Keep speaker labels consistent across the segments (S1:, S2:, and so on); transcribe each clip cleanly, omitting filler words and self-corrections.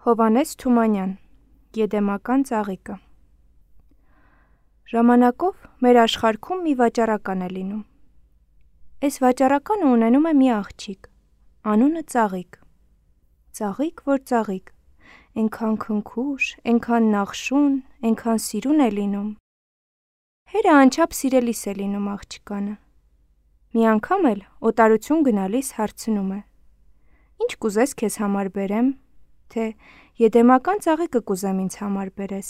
S1: Հովհաննես Թումանյան, Եդեմական ծաղիկը։ Ժամանակով մեր աշխարհքում մի վաճառական է լինում։ Այս վաճառականը ունենում է մի աղջիկ, անունը Ծաղիկ։ Ծաղիկ, որ ծաղիկ, այնքան քնքուշ, այնքան նախշուն, այնքան սիրուն է լինում։ Հերը անչափ սիրելիս է լինում աղջկանը։ Մի անգամ էլ օտարություն գնալիս հարցնում է. «Ինչ կուզես քեզ համար բերեմ, թե եդեմական ծաղիկը կուզեմ ինձ համար բերես»։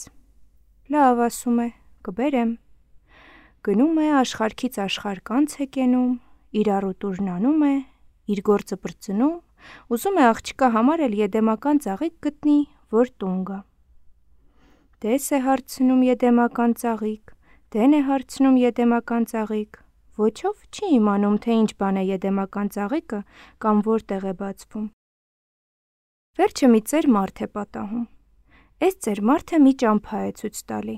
S1: «Լավ», ասում է, «կբերեմ»։ Գնում է աշխարհքից աշխարհ է կենում, իր առուտուրն անում է, իր գործը պրծնում, ուզում է աղջկա համար էլ եդեմական ծաղիկ գտնի, որ տուն գա։ Տես է հարցնում եդեմական ծաղիկ, դեն է հարցնում եդեմական ծաղիկ, ոչով չի իմանում, թե ինչ բան է եդեմական ծաղիկը կամ որտեղ է բացվում։ Վերջը մի ծեր մարդ է պատահում։ Այս ծեր մարդը մի ճամփա է ցույց տալի։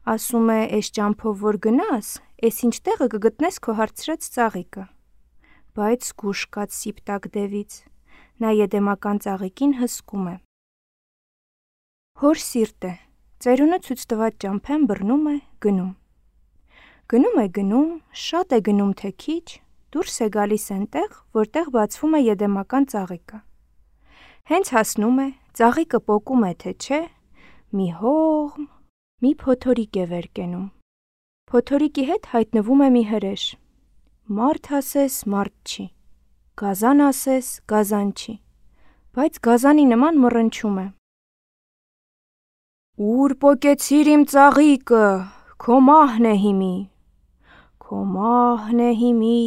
S1: Ասում է, այս ճամփով որ գնաս, այս ինչ տեղը կգտնես քո հարցրած ծաղիկը։ Բայց զգուշ կաց սիպտակ դևից, նա եդեմական ծաղիկին հսկում է։ Հոր սիրտ է, ծերունը ցույց տված ճամփեն բռնում է, գնում։ Գնում, շատ է գնում թե քիչ, դուրս է գալիս այնտեղ, որտեղ բացվում է եդեմական ծաղիկը։ Հենց հասնում է, ծաղիկը պոկում է թե չէ, մի հողմ, մի փոթորիկ է վեր կենում։ Փոթորիկի հետ հայտնվում է մի հրեշ։ Մարդ ասես, մարդ չի, գազան ասես, գազան չի, բայց գազանի նման մռնչում է։ «Ուր պոկեցիր իմ ծաղիկը, քո մահն է հիմի, քո մահն է հիմի»,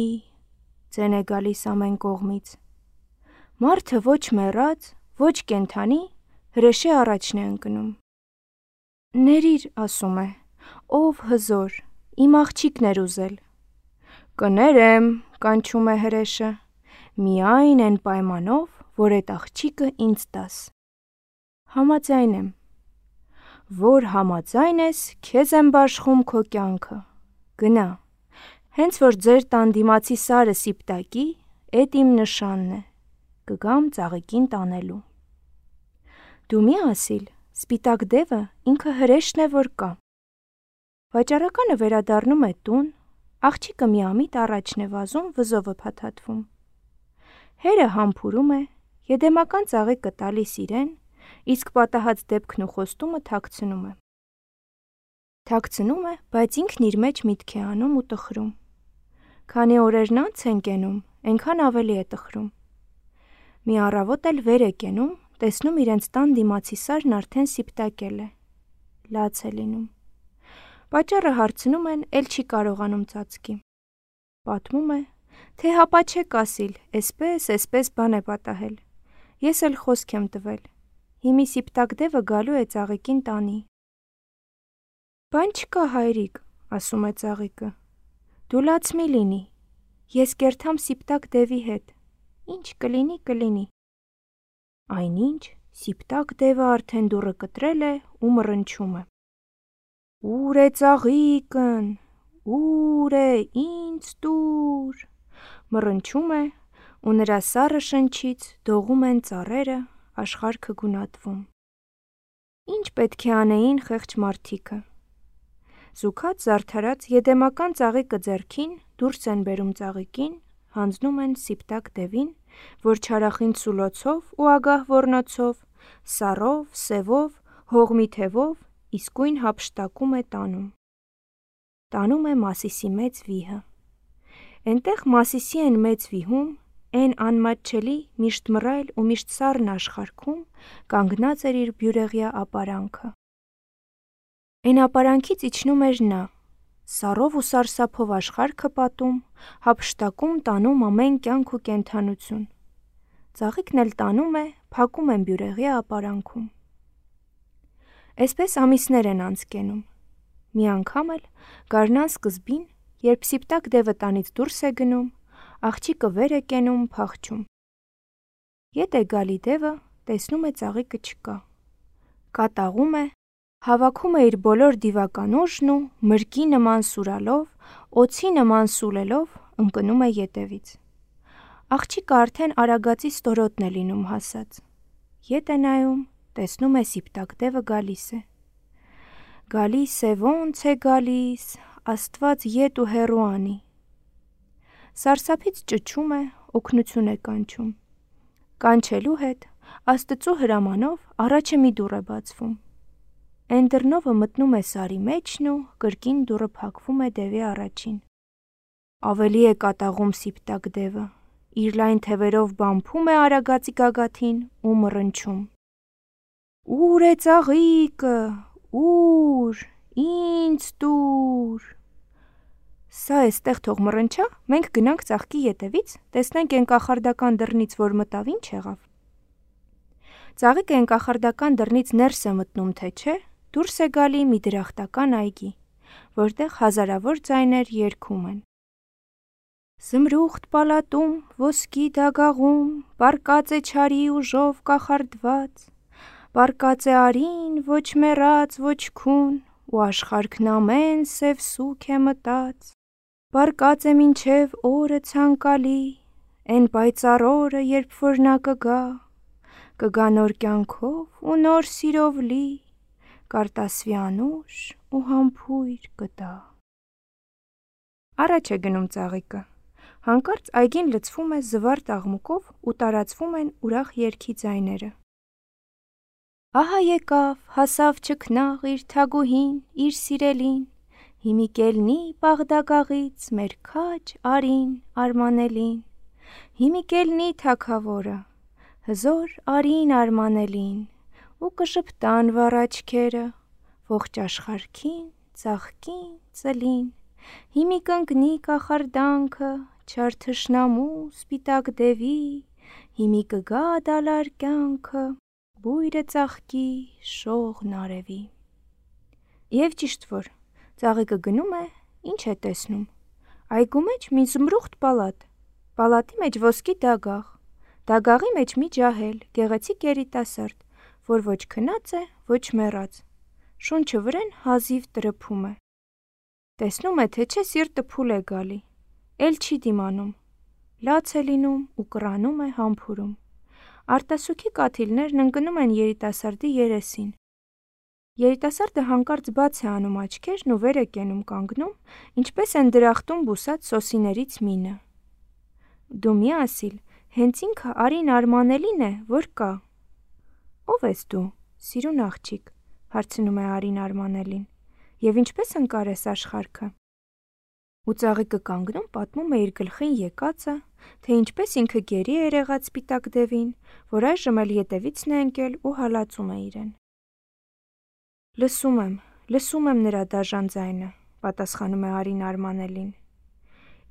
S1: ձեն է գալիս ամեն կողմից։ Մարդը ոչ մեռած, ոչ կենդանի, հրեշի առաջն է ընկնում։ «Ներիր», ասում է, «ով հզոր, իմ աղջիկն էր ուզել»։ «Կներեմ», կանչում է հրեշը, «միայն այն պայմանով, որ էդ աղջիկը ինձ տաս»։ «Համաձայն եմ»։ «Որ համաձայն ես, քեզ եմ բաշխում քո կյանքը, գնա, հենց որ ձեր տան դիմացի սարը սիպտակի, էդ իմ նշանն է, կգամ ծաղիկին տանելու»։ Դու մի ասիլ, սպիտակ դևը ինքը հրեշն է, որ կա։ Վաճառականը վերադառնում է տուն, աղջիկը միամիտ առաջն է վազում, վզովը փաթաթվում։ Հերը համբուրում է, եդեմական ծաղիկը տալիս իրեն, իսկ պատահած դեպքն ու խոստումը թաքցնում է։ Թաքցնում է, բայց ինքն իր մեջ միտք է անում ու տխրում։ Քանի օրերն անց են կենում, այնքան ավելի է տխրում։ Մի առավոտ էլ վեր է կենում, տեսնում իրենց տան դիմացի սարն արդեն սիպտակել է։ Լաց է լինում։ Պատճառը հարցնում են, էլ չի կարողանում ծածկի։ Պատմում է, թե հապա չեք ասիլ, էսպես բան է պատահել։ Ես էլ խոսք եմ տվել։ Հիմի սիպտակ դևը գալու է ծաղիկին տանի։ «Բան չկա, հայրիկ», ասում է ծաղիկը, «դու լաց մի լինի, ես կերթամ սիպտակ դևի հետ, ինչ կլինի, կլինի»։ Այնինչ, սիպտակ դևը արդեն դուռը կտրել է ու մռնչում է։ «Ո՞ւր է ծաղիկն, ո՞ւր է, ինձ տուր», մռնչում է, ու նրա սառը շնչից դողում են ծառերը, աշխարհքը գունատվում։ Ինչ պետք է անեին խեղճ մարդիկը։ Զուգած զարդարած եդեմական ծաղիկը ձեռքին, դուրս են բերում ծաղիկին, հանձնում են սիպտակ դևին, որ չարախին սուլոցով ու ագահ ոռնոցով, սառով, սևով, հողմի թևով իսկույն հափշտակում է տանում։ Տանում է Մասիսի մեծ վիհը։ Էնտեղ Մասիսի են մեծ վիհում, էն անմատչելի, միշտ մռայլ ու միշտ սառն աշխարհքում կանգնած էր իր բյուրեղյա ապարանքը։ Էն ապարանքից իջնում էր նա, սառով ու սարսափով աշխարհքը պատում, հափշտակում, տանում ամեն կյանք ու կենդանություն։ Ծաղիկն էլ տանում է, փակում են բյուրեղյա ապարանքում։ Էսպես ամիսներ են անց կենում։ Մի անգամ էլ գարնան սկզբին, երբ սիպտակ դևը տանից դուրս է գնում, աղջիկը վեր է կենում, փախչում։ Ետ է գալի դևը, տեսնում է ծաղիկը չկա։ Կատաղում է, հավաքում է իր բոլոր դիվական ուժն ու մրգի նման սուրալով, օձի նման սուլելով ընկնում է ետևից։ Աղջիկը արդեն արագածի ստորոտն է լինում հասած։ Ետ է նայում, տեսնում է սիպտակ դևը գալիս է։ Գալիս է, ոնց է գալիս, Աստված ետ ու հեռու անի։ Սարսափից ճչում է, օգնություն է կանչում։ Կանչելու հետ Աստծու հրամանով առաջը մի դուռ է բացվում։ Էն դռնովը մտնում է սարի մեջն ու կրկին դուռը փակվում է դևի առաջին։ Ավելի է կատաղում սիպտակ դևը, իր լայն թևերով բամփում է արագածի գագաթին ու մռնչում. «Ուր է ծաղիկը, ուր, ինձ տուր»։ Սա էստեղ թող մռնչա, մենք գնանք ծաղկի ետևից, տեսնենք էն կախարդական դռնից, որ մտավ, ինչ եղավ։ Ծաղիկը էն կախարդական դռնից ներս է մտնում, թե չէ, դուրս է գալի մի դրախտական այգի, որտեղ հազարավոր ձայներ երգում են. Զմրուխտ պալատում, ոսկի դագաղում, պառկած է չարի ուժով կախարդված, պառկած է արին, ոչ մեռած, ոչ քուն, ու աշխարհքն ամեն սև սուգ է մտած, պառկած է մինչև օրը ցանկալի, էն պայծառ օրը, երբ որ նա կգա նոր կյանքով ու նոր սիրով լի, կարտասվի անուշ ու համբույր կտա։ Առաջ է գնում ծաղիկը։ Հանկարծ այգին լցվում է զվարթ աղմուկով ու տարածվում են ուրախ երգի ձայները։ Ահա եկավ, հասավ չքնաղ իր թագուհին, իր սիրելին, հիմի կելնի Բաղդագաղից մեր քաջ արին արմանելին, հիմի կելնի թագավորը, հզոր արին արմանելին, ու կժպտան վառ աչքերը, ողջ աշխարհքին, ծաղկին, ծլին, հիմի կընկնի կախարդանքը, չար թշնամու սպիտակ դևի, հիմի կգա դալար կյանքը, բույրը ծաղկի, շողն արևի։ Եվ ճիշտ որ, ծաղիկը գնում է, ինչ է տեսնում։ Այգու մեջ մի զմրուխտ պալատ, պալատի մեջ ոսկի դագաղ, դագաղի մեջ մի ջահել, գեղեցիկ երիտասարդ, որ ոչ քնած է, ոչ մեռած, շունչը վրեն հազիվ տրփում է։ Տեսնում է, թե չէ սիրտը փուլ է գալի, էլ չի դիմանում, լաց է լինում ու կռանում է համբուրում։ Արտասուքի կաթիլներն ընկնում են երիտասարդի երեսին։ Երիտասարդը հանկարծ բաց է անում աչքերն ու վեր է կենում կանգնում, ինչպես են դրախտում բուսած սոսիներից մինը։ Դու մի ասիլ, հենց ինքը արին արմանելին է, որ կա։ Ո՞վ ես դու, սիրուն աղջիկ, հարցնում է արին արմանելին, և ինչպես ընկար ես աշխարհքը։ Ու ծաղիկը կանգնում պատմում է իր գլխին եկածը, թե ինչպես ինքը գերի է եղած սպիտակ դևին, որ այժմ էլ ետևիցն է ընկել ու հալածում է իրեն։ Լսում եմ նրա դաժան ձայնը, պատասխանում է արին արմանելին։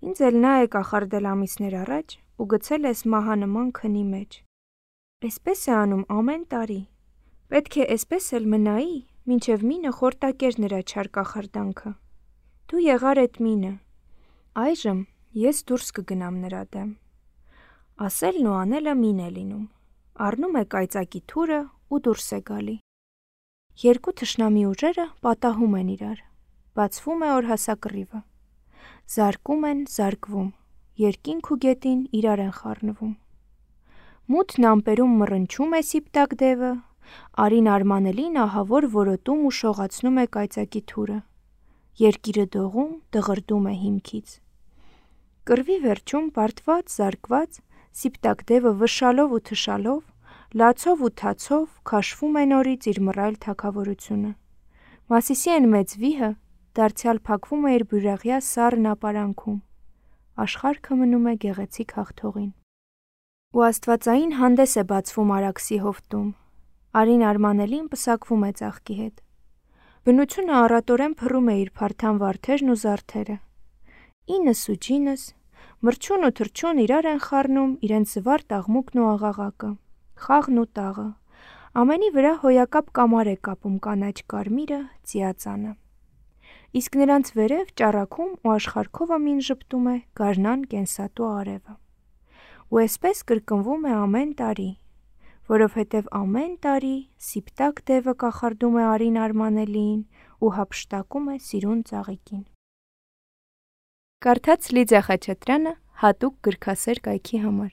S1: Ինձ էլ նա է կախարդել ամիսներ առաջ ու գցել էս մահանման քնի մեջ։ Էսպես է անում ամեն տարի։ Պետք է էսպես էլ մնայի, մինչև մինը խորտակեր նրա չար կախարդանքը։ Դու եղար էդ մինը։ Այժմ ես դուրս կգնամ նրա դեմ։ Ասելն ու անելը մին է լինում։ Առնում է կայծակի թուրը ու դուրս է գալի։ Երկու թշնամի ուժերը պատահում են իրար։ Բացվում է օրհասակռիվը։ Զարկում են, զարկվում, երկինք ու գետին իրար են խառնվում։ Մութն ամպերում մռնչում է սիպտակ դևը, արին արմանելին ահավոր որոտում ու շողացնում է կայծակի թուրը։ Երկիրը դողում, դղրդում է հիմքից։ Կռվի վերջում բարդված, զարկված, սիպտակ դևը վշալով ու թշալով, լացով ու թացով քաշվում է նորից իր մռայլ թագավորությունը։ Մասիսի են մեծ վիհը դարձյալ փակվում է իր բյուրեղյա սառն ապարանքում։ Աշխարհքը մնում է գեղեցիկ հաղթողին։ Ու աստվածային հանդես է բացվում Արաքսի հովտում։ Արին արմանելին պսակվում է ծաղկի հետ։ Բնությունը առատորեն փռում է իր փարթամ վարդերն ու զարդերը։ Ինս ու ջինս, մրջուն ու թրջուն իրար են խառնում իրենց զվարթ աղմուկն ու աղաղակը, խաղն ու տաղը, ամենի վրա հոյակապ կամար է կապում կանաչ կարմիրը, ծիածանը։ Իսկ նրանց վերև ճառագում ու աշխարհքով ամին ժպտում է գարնան կենսատու արևը։ Ու էսպես կրկնվում է ամեն տարի, որովհետև ամեն տարի սիպտակ դևը կախարդում է արին արմանելին ու հափշտակում է սիրուն ծաղիկին։ Կարդաց Լիդիա Խաչատրյանը հատուկ գրքասեր կայքի համար։